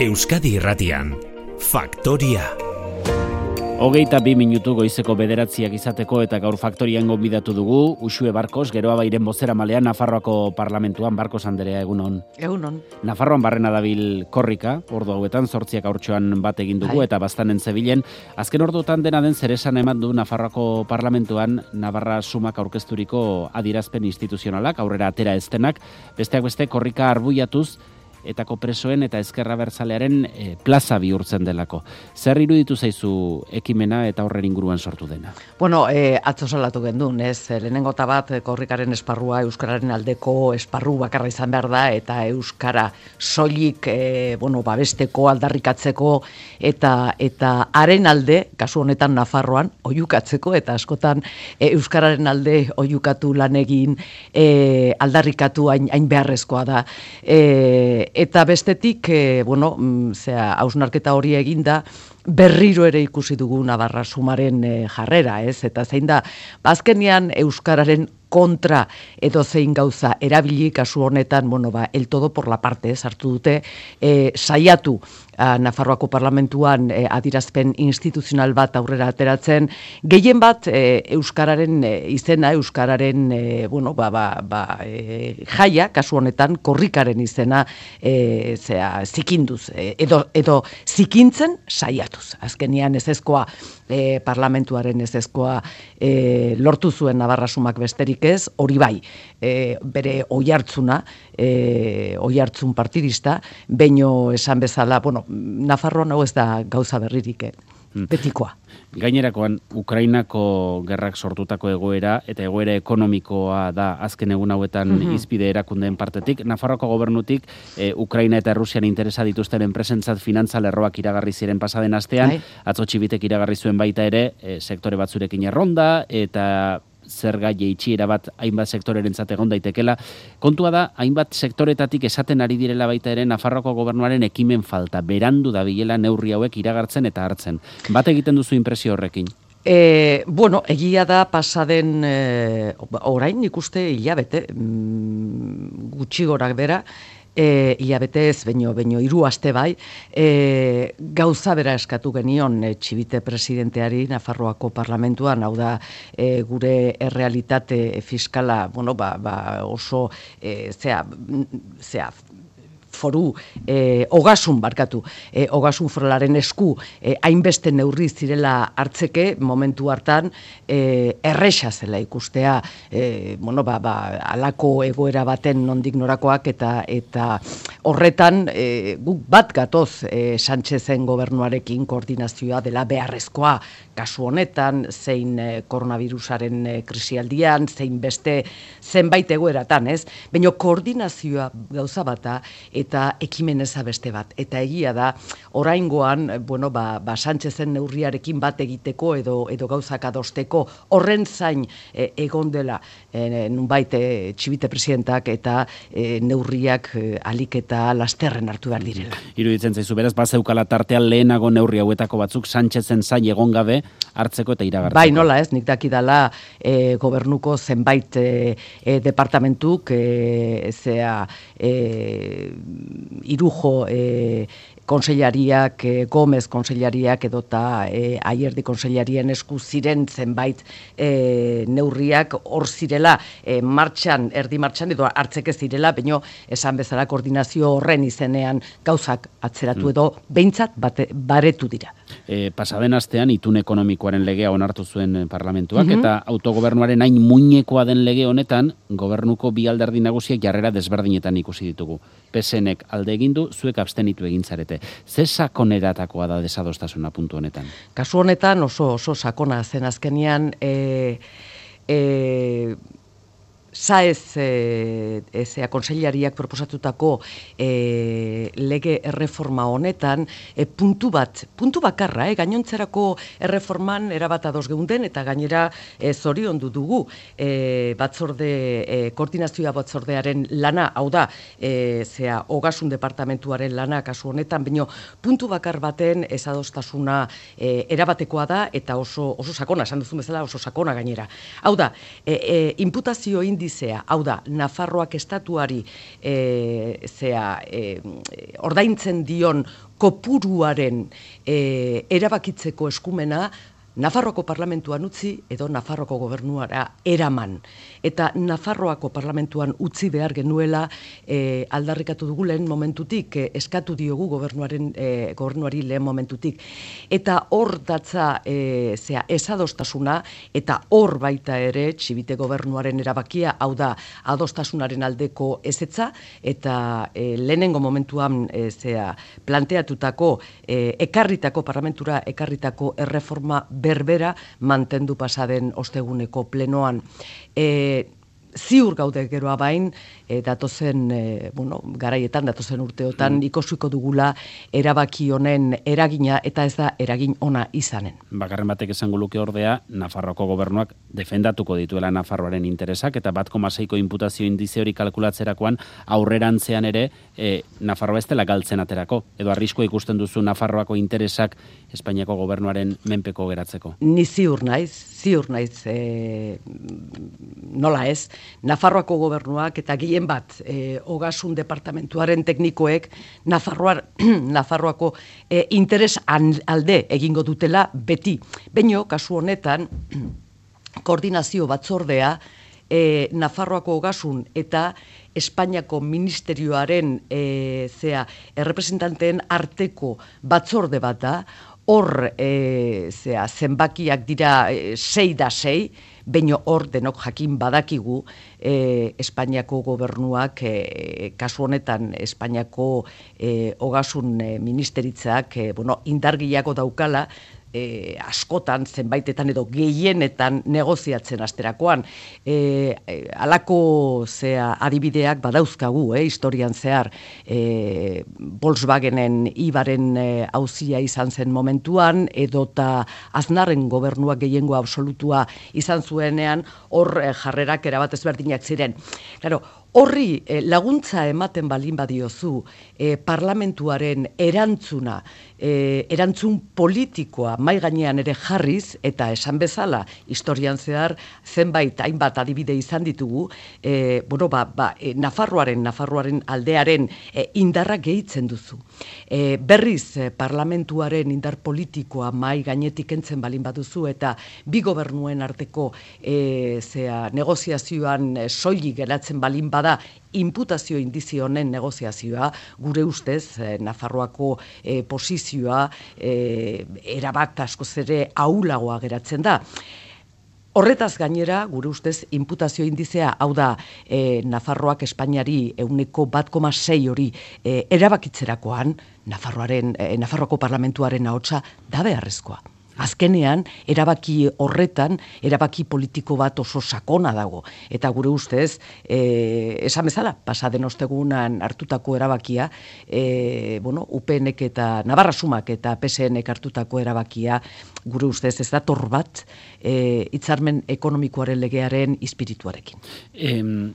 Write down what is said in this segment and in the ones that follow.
Euskadi Irratian, Faktoria. 22 minutu goizeko 9 izateko eta gaur Faktorian gonbidatu dugu Uxue Barkos, Geroabairen bozeramalean Nafarroako Parlamentuan. Barkos Anderea, egunon. Egunon. Nafarroan barrena dabil korrika, ordu hauetan 8 haurtxoan bat egin dugu eta bastanen zebilen. Azken orduotan dena den zeresan eman du Nafarroako Parlamentuan Navarra Sumak aurkezturiko adierazpen instituzionalak, aurrera atera eztenak, besteak beste korrika arbuiatuz etako presoen eta ezkerra bertzalearen plaza bihurtzen delako. Zer iruditu zaizu ekimena eta horren inguruan sortu dena? Bueno, atzo salatu gendun, ez? Lehenengo eta bat korrikaren esparrua euskararen aldeko esparru bakarra izan behar da eta euskara soilik babesteko, aldarrikatzeko eta haren alde, kasu honetan Nafarroan, oihukatzeko eta askotan euskararen alde oihukatu lan egin aldarrikatu hain beharrezkoa da. Eta bestetik, hausnarketa hori eginda, berriro ere ikusi dugu Navarra Sumaren jarrera, ez? Eta zein da, azkenean euskararen kontra edo zein gauza erabili, kasu honetan, el todo por la parte, hartu dute, saiatu Nafarroako Parlamentuan adierazpen instituzional bat aurrera ateratzen, gehien bat euskararen izena, euskararen jaia, kasu honetan korrikaren izena zikinduz, edo zikintzen saiatuz. Azkenean ezezkoa, parlamentuaren ezezkoa lortu zuen Navarra Sumak besterik ez, hori bai, bere oihartzuna, oihartzun partidista, beino esan bezala, Nafarroan hau ez da gauza berririk, betikoa. Gainerakoan, Ukrainako gerrak sortutako egoera eta egoera ekonomikoa da azken egun hauetan izpide erakundeen partetik. Nafarroako gobernutik Ukraina eta Rusian interesa dituzten enpresentzat finantza lerroak iragarri ziren pasaden astean, atzo Txibitek iragarri zuen baita ere, sektore batzurekin erronda eta zerga jaitsiera bat hainbat sektorerentzat egon daitekela. Kontua da, hainbat sektoretatik esaten ari direla baita ere Nafarroako gobernuaren ekimen falta, berandu dabilela neurri hauek iragartzen eta hartzen. Bat egiten duzu inpresio horrekin? Egia da pasaden orain ikuste hilabete, gutxi gorak bera, hilabete ez, baino 3 aste bai, gauza bera eskatu genion Txibite presidenteari Nafarroako Parlamentuan, hau da gure errealitate fiskala, oso foru, ogasun foralaren esku hainbeste neurri zirela hartzeke, momentu hartan erresa zela ikustea, alako egoera baten nondik norakoak eta horretan guk bat gatoz Sánchezen gobernuarekin koordinazioa dela beharrezkoa, kasu honetan, zein koronavirusaren krisialdian, zein beste zenbait egoeratan, ez? Baina koordinazioa gauza bata eta ekimeneza beste bat. Eta egia da, oraingoan, Sánchezen neurriarekin bat egiteko edo gauzak adosteko horren zain egon dela nunbait Txibite presidentak eta neurriak alik eta lasterren hartu behar direla. Iruditzen zaizu, beraz, bazeukala tartean lehenago neurri hauetako batzuk Sánchezen zain egon gabe hartzeko eta iragartzeko. Bai, nola ez, nik dakidala gobernuko zenbait departamentuk, Irujo konseilariak, Gomez konseilariak edota Ayerdi konseilarien esku ziren zenbait neurriak hor zirela erdi martxan edo hartzeke zirela, baino esan bezala koordinazio horren izenean gauzak atzeratu edo behintzat baretu dira. Pasaden astean itun ekonomikoaren legea onartu zuen parlamentuak eta autogobernuaren hain muinekoa den lege honetan gobernuko bi alderdi nagusiek jarrera desberdinetan ikusi ditugu. PSNek alde egin du, zuek abstenitu egin zarete. Ze sakoneratakoa da desadostasuna puntu honetan? Kasu honetan oso sakona zen azkenean Saez konseilariak proposatutako lege erreforma honetan puntu bakarra, gainontzerako erreforman erabat ados geunden eta gainera zoriondu dugu koordinazioa batzordearen lana, hau da, ogasun departamentuaren lana kasu honetan, baino puntu bakar baten ezadostasuna erabatekoa da eta oso sakona, esan duzun bezala oso sakona gainera. Hau da, imputazio indizea, hau da, Nafarroak estatuari ordaintzen dion kopuruaren erabakitzeko eskumena Nafarroako parlamentuan utzi edo Nafarroako gobernuara eraman. Eta Nafarroako parlamentuan utzi behar genuela aldarrikatu dugu lehen momentutik, eskatu diogu gobernuari lehen momentutik. Eta hor datza ezadostasuna eta hor baita ere Txibite gobernuaren erabakia, hau da adostasunaren aldeko ezetza eta lehenengo momentuan planteatutako parlamentura ekarritako erreforma berbera mantendu pasaden osteguneko plenoan. Ziur gaude geroa bain, datozen garaietan, datozen urteotan ikusiko dugula erabaki honen eragina eta ez da eragin ona izanen. Bakarren batek esango luke ordea, Nafarroako gobernuak defendatuko dituela Nafarroaren interesak eta 1,6ko inputazio indize hori kalkulatzerakoan aurrerantzean ere Nafarroa ez dela galtzen aterako. Edo arriskoa ikusten duzu Nafarroako interesak Espainiako gobernuaren menpeko geratzeko. Ni ziur naiz, nola ez, Nafarroako gobernuak eta gehien bat ogasun departamentuaren teknikoek Nafarroako interes alde egingo dutela beti. Baino, kasu honetan, koordinazio batzordea Nafarroako ogasun eta Espainiako ministerioaren errepresentanteen arteko batzorde bat da, hor zenbakiak dira 6-6, baina hor denok jakin badakigu Espainiako gobernuak, kasu honetan Espainiako ogasun ministeritzak indargiako daukala, askotan, zenbaitetan edo gehienetan negoziatzen asterakoan. Halako adibideak badauzkagu, historian zehar, Volkswagenen ibaren auzia izan zen momentuan, edota Aznarren gobernuak gehiengo absolutua izan zuenean, hor jarrerak erabat ezberdinak ziren. Claro, horri laguntza ematen balin badiozu parlamentuaren erantzun politikoa mai gainean ere jarriz, eta esan bezala, historian zehar hainbat adibide izan ditugu, Nafarroaren aldearen indarra gehitzen duzu. Berriz parlamentuaren indar politikoa mai gainetik entzen balin baduzu, eta bi gobernuen arteko negoziazioan soilik geratzen balin bada inputazio indizio honen negoziazioa, gure ustez Nafarroako posizioa erabat askoz ere ahulagoa geratzen da. Horretaz gainera, gure ustez, inputazio indizea, hau da, Nafarroak Espainiari 1,6 hori erabakitzerakoan, Nafarroako parlamentuaren ahotsa da beharrezkoa. Azkenean, erabaki horretan, erabaki politiko bat oso sakona dago. Eta gure ustez, esan bezala, pasaden ostegunan hartutako erabakia, UPNek eta Navarra Sumak eta PSNek hartutako erabakia, gure ustez ez dator bat, hitzarmen ekonomikoaren legearen espirituarekin.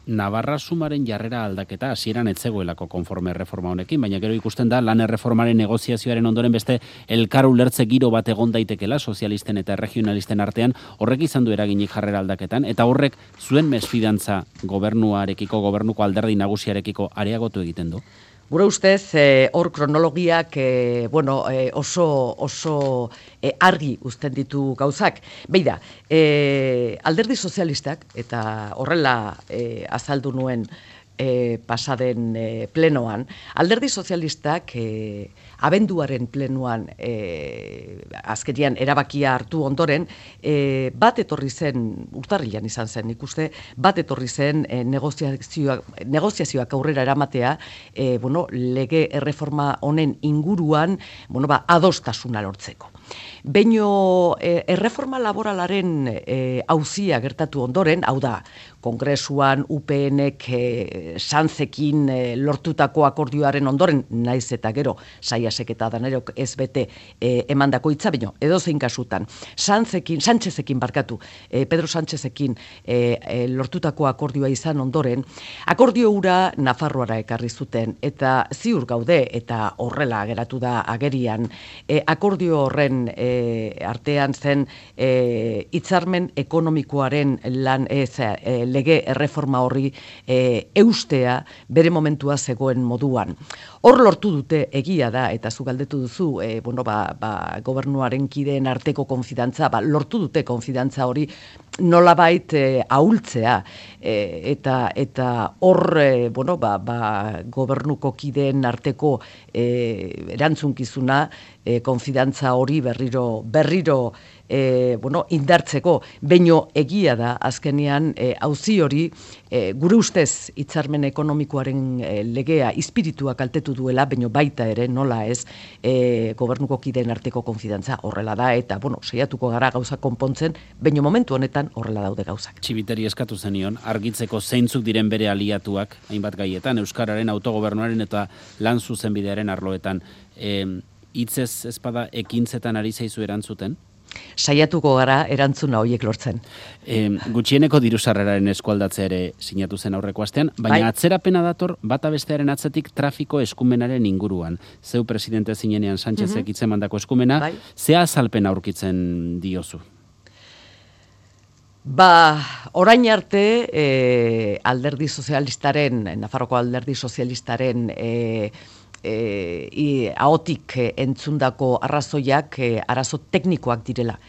Navarra Sumaren jarrera aldaketa hasieran ez zegoelako konforme erreforma honekin, baina gero ikusten da lan erreformaren negoziazioaren ondoren beste elkar ulertze giro bat egon daitekela sozialisten eta regionalisten artean, horrek izan du eraginik jarrera aldaketan, eta horrek zuen mesfidantza gobernuarekiko, gobernuko alderdi nagusiarekiko areagotu egiten du? Gure ustez, hor kronologiak oso argi uzten ditu gauzak. Beida, alderdi sozialistak, eta horrela azaldu nuen pasaden plenoan, alderdi sozialistak abenduaren plenoan azkenian erabakia hartu ondoren, bat etorri zen, urtarrilan izan zen ikuste, bat etorri zen negoziazioak aurrera eramatea, lege erreforma honen inguruan adostasuna lortzeko. Baino erreforma laboralaren auzia gertatu ondoren, hau da, Kongresuan UPNek Santzekin lortutako akordioaren ondoren, naiz eta gero Saiasek eta Danerok ez bete emandako hitza, baino edozein kasutan, Santzezekin Pedro Santzezekin lortutako akordioa izan ondoren, akordio hura Nafarroara ekarri zuten, eta ziur gaude, eta horrela geratu da agerian, akordio horren horren artean zen hitzarmen ekonomikoaren lege erreforma horri eustea bere momentua zegoen moduan. Hor lortu dute egia da, eta zu galdetu duzu, gobernuaren kideen arteko konfidantza, lortu dute konfidantza hori nolabait ahultzea, eta hor gobernuko kideen arteko erantzunkizuna konfidantza hori berriro indartzeko, baino egia da azkenean auzi hori gure ustez hitzarmen ekonomikoaren legea espiritua kaltetu duela, baino baita ere nola ez gobernuko kideen arteko konfidantza horrela da, eta saiatuko gara gauza konpontzen, baino momentu honetan horrela daude gauzak. Txibiteri eskatu zenion, argitzeko zeintzuk diren bere aliatuak, hainbat gaietan, euskararen, autogobernuaren eta lan zuzenbidearen arloetan. Hitzez ezpada ekintzetan ari zaizu erantzuten? Saiatuko gara erantzuna horiek lortzen. Gutxieneko diru-sarreraren eskualdatzea ere sinatu zen aurreko astean, baina atzerapena dator bata bestearen atzetik trafiko eskumenaren inguruan. Zeu presidente zinenean Sánchezek hitzemandako eskumena, ze azalpen aurkitzen diozu? Orain arte alderdi sozialistaren, Nafarroko alderdi sozialistaren ahotik entzundako arrazoiak arazo teknikoak direla.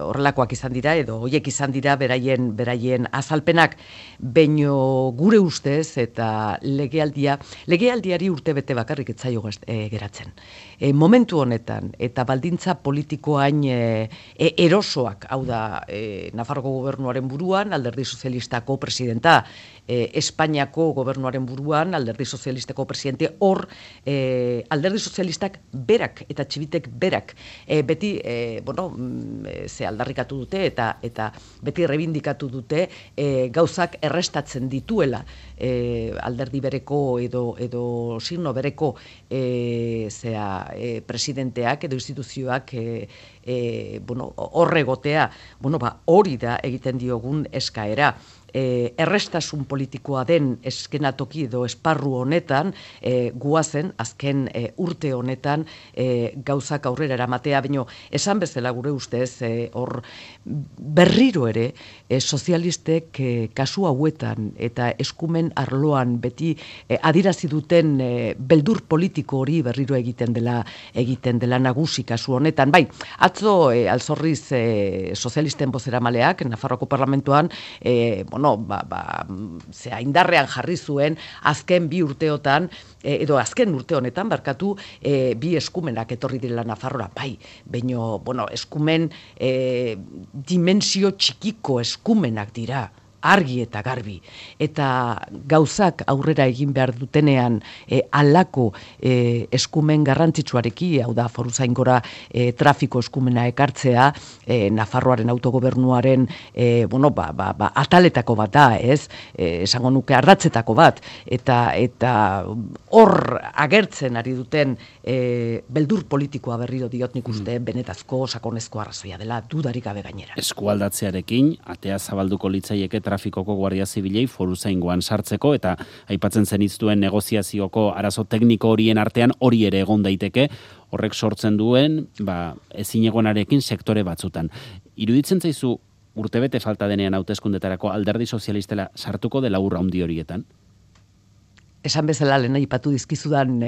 Horrelakoak izan dira, edo hoiek izan dira beraien azalpenak, baino gure ustez eta legealdiari urte bete bakarrik ez zaio geratzen. Momentu honetan, eta baldintza politikoain erosoak, hau da, Nafarroko gobernuaren buruan, alderdi sozialistako presidenta, Espainiako gobernuaren buruan, alderdi sozialistako presidente, hor, alderdi sozialistak berak, eta txibitek berak, beti, aldarrikatu dute, eta beti rebindikatu dute, gauzak errestatzen dituela, alderdi bereko edo signo bereko presidenteak edo instituzioak horregotea, hori da egiten diogun eskaera. Errestasun politikoa den eskenatoki edo esparru honetan guazen azken urte honetan gauzak aurrera eramatea, baino esan bezala gure ustez hor berriro ere sozialistek kasu hauetan eta eskumen arloan beti adirazi duten beldur politiko hori berriro egiten dela nagusi kasu honetan. Bai, atzo alzorriz sozialisten bozeramaleak Nafarroko parlamentuan indarrean jarri zuen azken bi urteotan, edo azken urte honetan, bi eskumenak etorri direla Nafarroa, bai, baino, eskumen dimensio txikiko eskumenak dira, argi eta garbi, eta gauzak aurrera egin behar dutenean alako eskumen garrantzitsuareki, hau da foruzaingora trafiko eskumena ekartzea, Nafarroaren autogobernuaren ataletako bat da, esango nuke ardatzetako bat, eta hor agertzen ari duten beldur politikoa berriro diot nik uste benetazko sakonezko arrazoia dela, dudarik gabe gainera. Eskualdatzearekin, atea zabalduko litzaieke trafikoko guardia zibilei foruzaingoan sartzeko, eta aipatzen zenituen negoziazioko arazo tekniko horien artean hori ere egon daiteke, horrek sortzen duen ezinegonarekin sektore batzutan. Iruditzen zaizu urtebete falta denean hauteskundetarako alderdi sozialistela sartuko dela urra handi horietan? Esan bezala lehen aipatu dizkizudan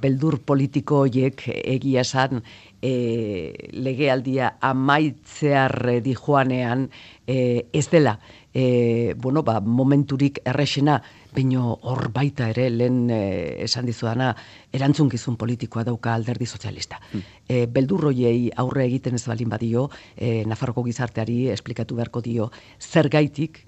beldur politiko horiek egia esan legealdia amaitzear dijoanean ez dela momenturik errexena, baino hor baita ere lehen esan dizudana erantzunkizun politikoa dauka alderdi sozialista. Beldur hoiei aurre egiten ez balin badio, Nafarroko gizarteari esplikatu beharko dio zergaitik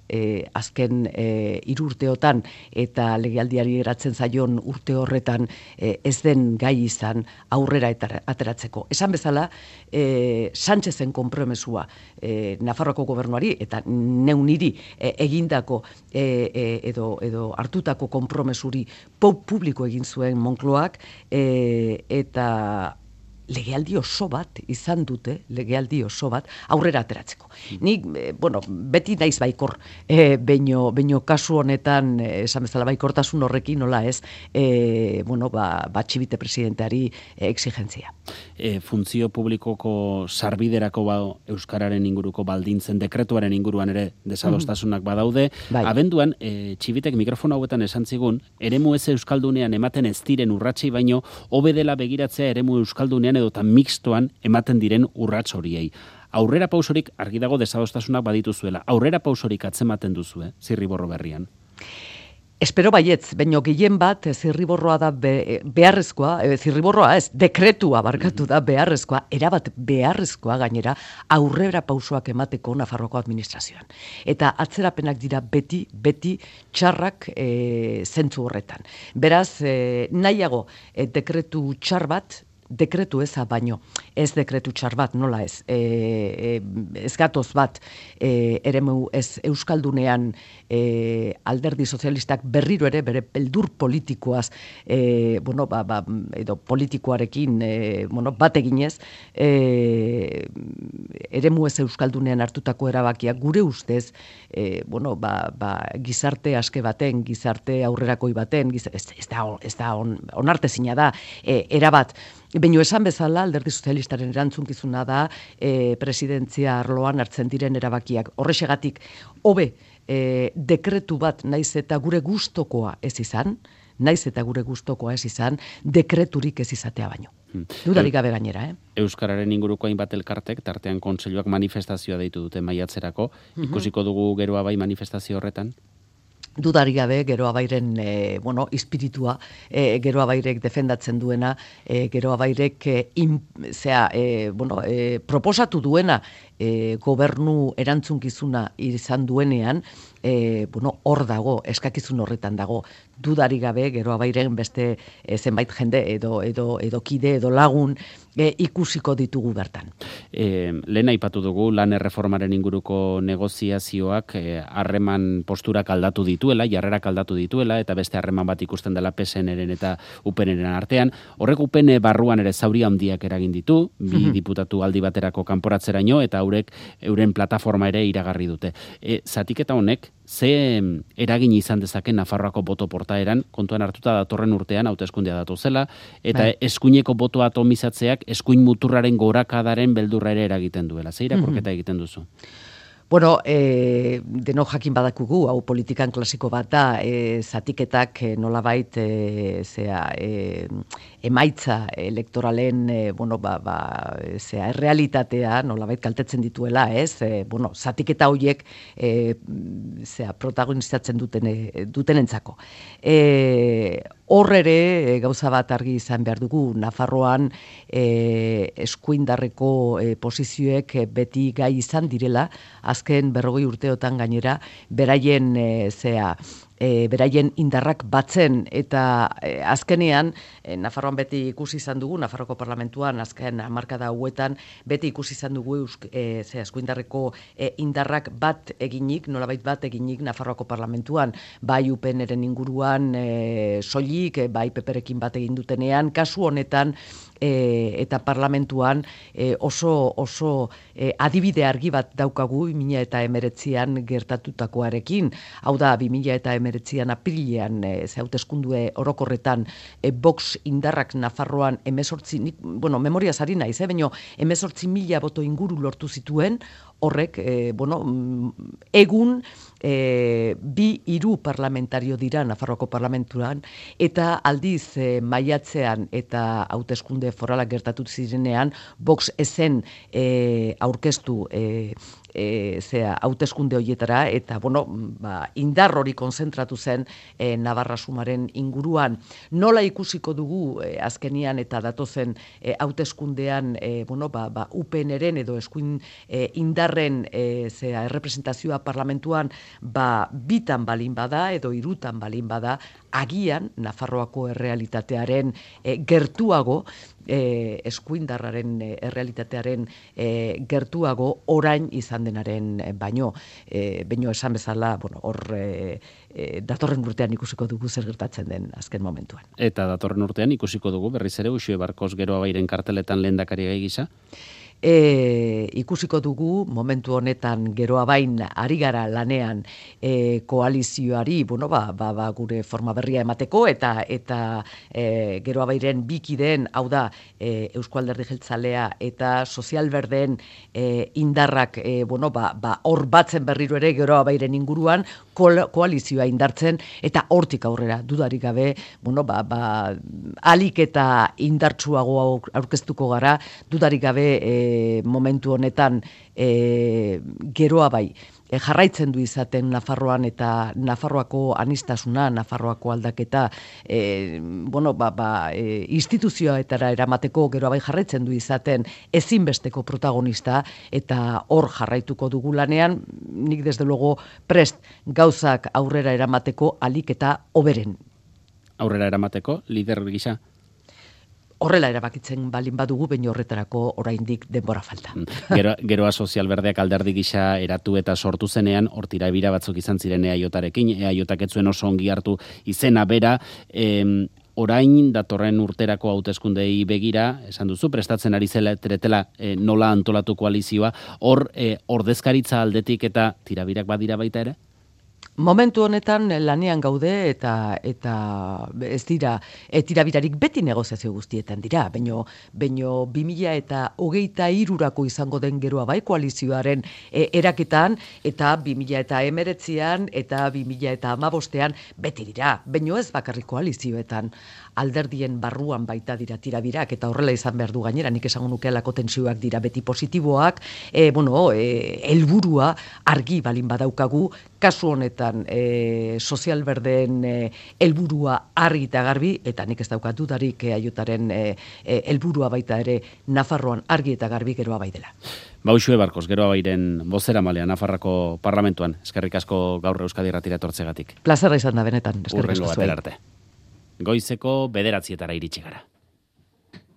azken 3 urteotan eta legealdiari eratzen zaion urte horretan ez den gai izan aurrera ateratzeko. Esan bezala, Sánchezen konpromesua Nafarroko gobernuari eta neuniri egindako edo hartutako konpromesuri publiko egin zuen Moncloak eta legealdi oso bat izan dute, legealdi oso bat aurrera ateratzeko. Nik, beti naiz baikor, baino kasu honetan, esan bezala baikortasun horrekin, nola ez, Txibite presidenteari exigentzia. Funtzio publikoko sarbiderako Euskararen inguruko baldintzen dekretuaren inguruan ere desadostasunak badaude. Bai. Abenduan, Txibitek mikrofona hauetan esan zigun, eremu ez euskaldunean ematen ez diren urratsei baino, hobe dela begiratzea eremu euskaldunean edota mixtoan ematen diren urrats horiei. Aurrera pausorik argi dago desadostasunak badituzuela. Aurrera pausorik atzematen duzu, Zirriborro berrian. Espero baietz, baino gehien bat zirriborroa da beharrezkoa, zirriborroa ez, dekretua barkatu da beharrezkoa, erabat beharrezkoa gainera aurrera pausoak emateko Nafarroako administrazioan. Eta atzerapenak dira beti txarrak zentzu horretan. Beraz, nahiago dekretu txar bat, dekretu eza baino, ez dekretu txar bat, nola ez, ez gatoz bat, eremu ez euskaldunean alderdi sozialistak berriro ere bere beldur politikoaz, edo politikoarekin, bat eginez, eremu ez euskaldunean hartutako erabakiak gure ustez, gizarte aske baten, gizarte aurrerakoi baten, ez da onartezina da, erabat. Baina esan bezala, alderdi sozialistaren erantzunkizuna da presidentzia arloan hartzen diren erabakiak. Horrexegatik, hobe dekretu bat naiz eta gure gustokoa ez izan, dekreturik ez izatea baino. Dudarik gabe gainera, Euskararen inguruko hainbat elkartek, tartean kontseiluak manifestazioa deitu dute maiatzerako. Ikusiko dugu Geroa Bai manifestazio horretan? Dudarik gabe, Geroa Bairen espiritua, Geroa Bairek defendatzen duena, Geroa Bairek proposatu duena gobernu erantzunkizuna izan duenean, hor dago, eskakizun horretan dago. Dudarik gabe, Geroa Bairen beste zenbait jende edo kide edo lagun ikusiko ditugu bertan. Lehen aipatu dugu lan erreformaren inguruko negoziazioak harreman posturak aldatu dituela, jarrerak aldatu dituela, eta beste harreman bat ikusten dela PSN-eren eta UPN-eren artean. Horrek UPN barruan ere zauri handiak eragin ditu, bi diputatu aldi baterako kanporatzeraino, eta haurek euren plataforma ere iragarri dute. Zatiketa honek, ze eragin izan dezake Nafarroako boto portaeran, kontuan hartuta datorren urtean, hauteskundea datozela, eta eskuineko botoa atomizatzeak eskuin muturraren gorakadaren beldurra ere eragiten duela. Ze irakurketa egiten duzu? Deno jakin badakugu, hau politikan klasiko bat da, zatiketak nolabait emaitza elektoralen errealitatea nolabait kaltetzen dituela, ez? Zatiketa horiek protagonizatzen dutenentzako. Hor ere, gauza bat argi izan behar dugu, Nafarroan eskuindarreko posizioek beti gai izan direla, azken 40 urteotan gainera, beraien indarrak batzen, eta azkenean, Nafarroan beti ikusi izan dugu, Nafarroko parlamentuan, azken hamarkada hauetan, beti ikusi izan dugu eskuindarreko indarrak bat eginik, nolabait bat eginik Nafarroako parlamentuan, bai UPN-eren inguruan soilik, bai PP-rekin bat egin dutenean, kasu honetan, eta parlamentuan oso adibide argi bat daukagu 2019an gertatutakoarekin. Hau da, 2019an apirilean hauteskundue orokorretan Vox indarrak Nafarroan 18, memoriaz ari naiz, baina 18.000 boto inguru lortu zituen, horrek, egun 2-3 parlamentario dira Nafarroako parlamenturan, eta aldiz maiatzean eta hauteskunde foralak gertatu zirenean, Vox ezen aurkeztu hauteskunde horietara, eta indar hori konzentratu zen Navarra Sumaren inguruan. Nola ikusiko dugu azkenian eta datozen hauteskundean UPN-eren edo eskuin indar indarren errepresentazioa parlamentuan bitan balin bada edo hirutan balin bada, agian Nafarroako errealitatearen gertuago, eskuindarraren errealitatearen gertuago orain izan denaren baino esan bezala, hor datorren urtean ikusiko dugu zer gertatzen den azken momentuan. Eta datorren urtean ikusiko dugu berriz ere Uxue Barkos Geroabairen karteletan lehendakari gai gisa? Ikusiko dugu momentu honetan Geroabain ari gara lanean koalizioari, gure forma berria emateko eta Geroabairen bikideen, hau da Eusko Alderdi Jeltzalea eta Sozialberdeen indarrak hor batzen berriro ere Geroabairen inguruan koalizioa indartzen, eta hortik aurrera dudarik gabe alik eta indartsuago aurkeztuko gara, dudarik gabe momentu honetan Geroabai jarraitzen du izaten Nafarroan eta Nafarroako anistasuna, Nafarroako aldaketa instituzioetara eramateko Geroabai jarraitzen du izaten ezinbesteko protagonista, eta hor jarraituko dugu lanean, nik desde luego prest gauzak aurrera eramateko alik eta hoberen. Aurrera eramateko, lider gisa? Horrela erabakitzen balin badugu, baina horretarako oraindik denbora falta. Geroa Sozialberdeak alderdi gisa eratu eta sortu zenean, hortira ebira batzuk izan ziren EAJarekin, EAJak ez zuen oso ongi hartu izena bera, orain datorren urterako hauteskundei begira, esan duzu, prestatzen ari tretela nola antolatu koalizioa, hor ordezkaritza aldetik eta tirabirak badira baita ere? Momentu honetan lanean gaude eta ez dira tirabirarik beti negoziazio guztietan dira, baino 2023rako izango den Geroabai koalizioaren eraketan, eta 2019an eta 2015an beti dira, baino ez bakarrik koalizioetan, alderdien barruan baita dira tirabirak, eta horrela izan behar du gainera, nik esango nukeelako tentsioak dira beti positiboak, helburua argi balin badaukagu, kasu honetan Sozialberdeen helburua argi eta garbi, eta nik ez daukat dudarik EAJaren helburua baita ere Nafarroan argi eta garbi Geroabai dela. Uxue Barkos, Geroabairen bozeramalea Nafarroako parlamentuan, eskerrik asko gaur Euskadi Irratira etortzegatik. Plazerra izan da benetan, eskerrik asko zuei. Goizeko 9:00 iritsi gara.